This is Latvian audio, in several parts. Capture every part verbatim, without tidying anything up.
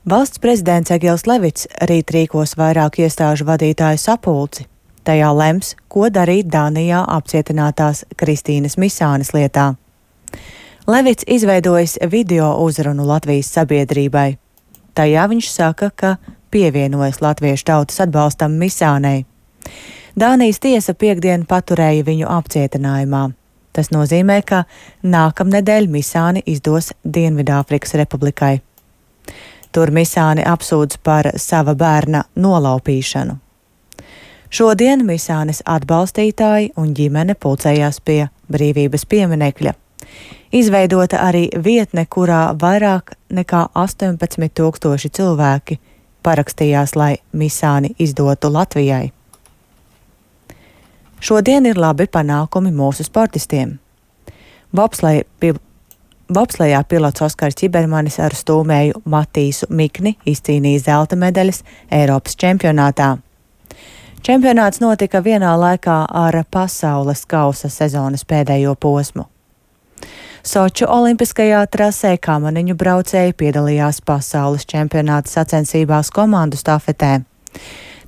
Valsts prezidents Egils Levits rīt rīkos vairāku iestāžu vadītāju sapulci. Tajā lems, ko darīt Dānijā apcietinātās Kristīnas Misānes lietā. Levits izveidojis video uzrunu Latvijas sabiedrībai. Tajā viņš saka, ka pievienojas latviešu tautas atbalstam Misānei. Dānijas tiesa piekdien paturēja viņu apcietinājumā. Tas nozīmē, ka nākamnedēļ Misāni izdos Dienvidāfrikas Republikai. Tur Misāni apsūdz par sava bērna nolaupīšanu. Šodien Misānes atbalstītāji un ģimene pulcējās pie brīvības pieminekļa. Izveidota arī vietne, kurā vairāk nekā astoņpadsmit tūkstoši cilvēki parakstījās, lai Misāni izdotu Latvijai. Šodien ir labi panākumi mūsu sportistiem. Bobsleja pi Bobslejā pilots Oskars Čibermanis ar stūmēju Matīsu Mikni izcīnīja zelta medaļas Eiropas čempionātā. Čempionāts notika vienā laikā ar pasaules kausa sezonas pēdējo posmu. Soču olimpiskajā trasē kamaniņu braucēji piedalījās pasaules čempionāta sacensībās komandu stafetē.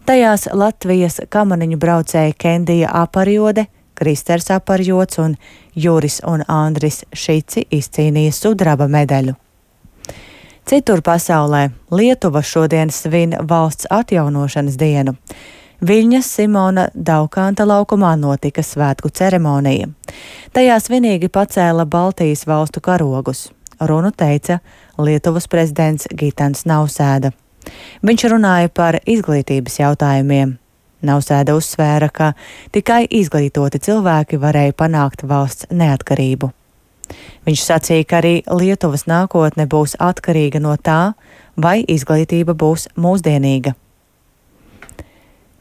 Tajās Latvijas kamaniņu braucēji Kendija Aparjode, Kristers Aparjods un Juris un Andris Šici izcīnīja sudraba medaļu. Citur pasaulē Lietuva šodien svin valsts atjaunošanas dienu. Viļņas Simona Daukanta laukumā notika svētku ceremonija. Tajā svinīgi pacēla Baltijas valstu karogus. Runu teica Lietuvas prezidents Gitans Nausēda. Viņš runāja par izglītības jautājumiem. Nausēda uzsvēra, ka tikai izglītoti cilvēki varēja panākt valsts neatkarību. Viņš sacīja, ka arī Lietuvas nākotne būs atkarīga no tā, vai izglītība būs mūsdienīga.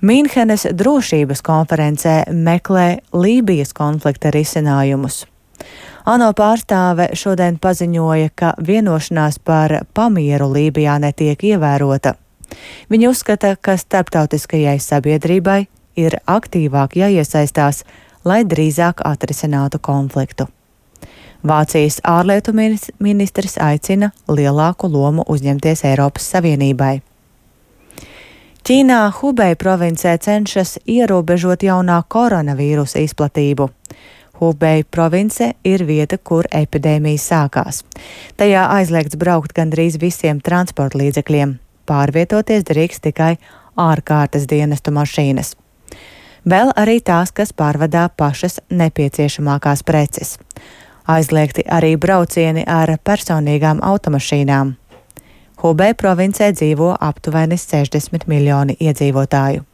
Mīnhenes drošības konferencē meklē Lībijas konflikta risinājumus. ANO pārstāve šodien paziņoja, ka vienošanās par pamieru Lībijā netiek ievērota. Viņa uzskata, ka starptautiskajai sabiedrībai ir aktīvāk jāiesaistās, lai drīzāk atrisinātu konfliktu. Vācijas ārlietu ministrs aicina lielāku lomu uzņemties Eiropas Savienībai. Ķīnā Hubei provincē cenšas ierobežot jaunā koronavīrusa izplatību. Hubei province ir vieta, kur epidēmija sākās. Tajā aizliegts braukt gandrīz visiem transporta līdzekļiem. Pārvietoties drīkst tikai ārkārtas dienestu mašīnas. Vēl arī tās, kas pārvadā pašas nepieciešamākās preces. Aizliegti arī braucieni ar personīgām automašīnām. Hubei provincē dzīvo aptuveni sešdesmit miljoni iedzīvotāju.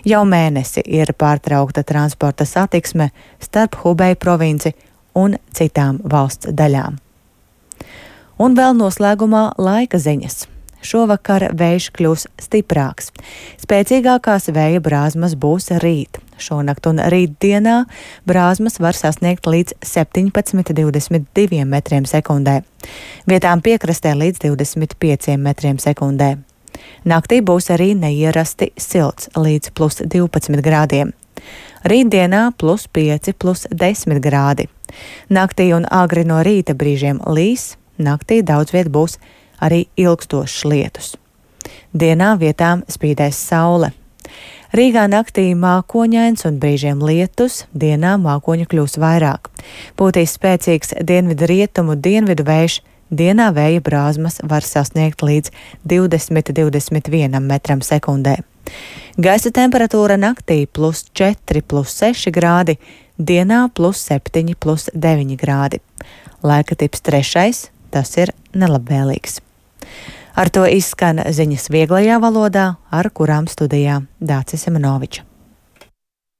Jau mēnesi ir pārtraukta transporta satiksme starp Hubei provinci un citām valsts daļām. Un vēl noslēgumā laika ziņas. Šovakar vējš kļūs stiprāks. Spēcīgākās vēja brāzmas būs rīt. Šonakt un rītdienā brāzmas var sasniegt līdz septiņpadsmit līdz divdesmit diviem metriem sekundē. Vietām piekrastē līdz divdesmit pieciem metriem sekundē. Naktī būs arī neierasti silts līdz plus divpadsmit grādiem. Rītdienā plus pieci, plus desmit grādi. Naktī un agri no rīta brīžiem līs, naktī daudz viet būs arī ilgstošs lietus. Dienā vietām spīdēs saule. Rīgā naktī mākoņains un brīžiem lietus, dienā mākoņu kļūs vairāk. Būtīs spēcīgs dienvidu rietumu dienvidu vējš, dienā vēja brāzmas var sasniegt līdz divdesmit līdz divdesmit vienam metram sekundē. Gaisa temperatūra naktī plus četri, plus seši grādi, dienā plus septiņi, plus deviņi grādi. Laika tips trešais, tas ir nelabvēlīgs. Ar to izskan ziņas vieglajā valodā, ar kurām studijā Dācis Semenovičs.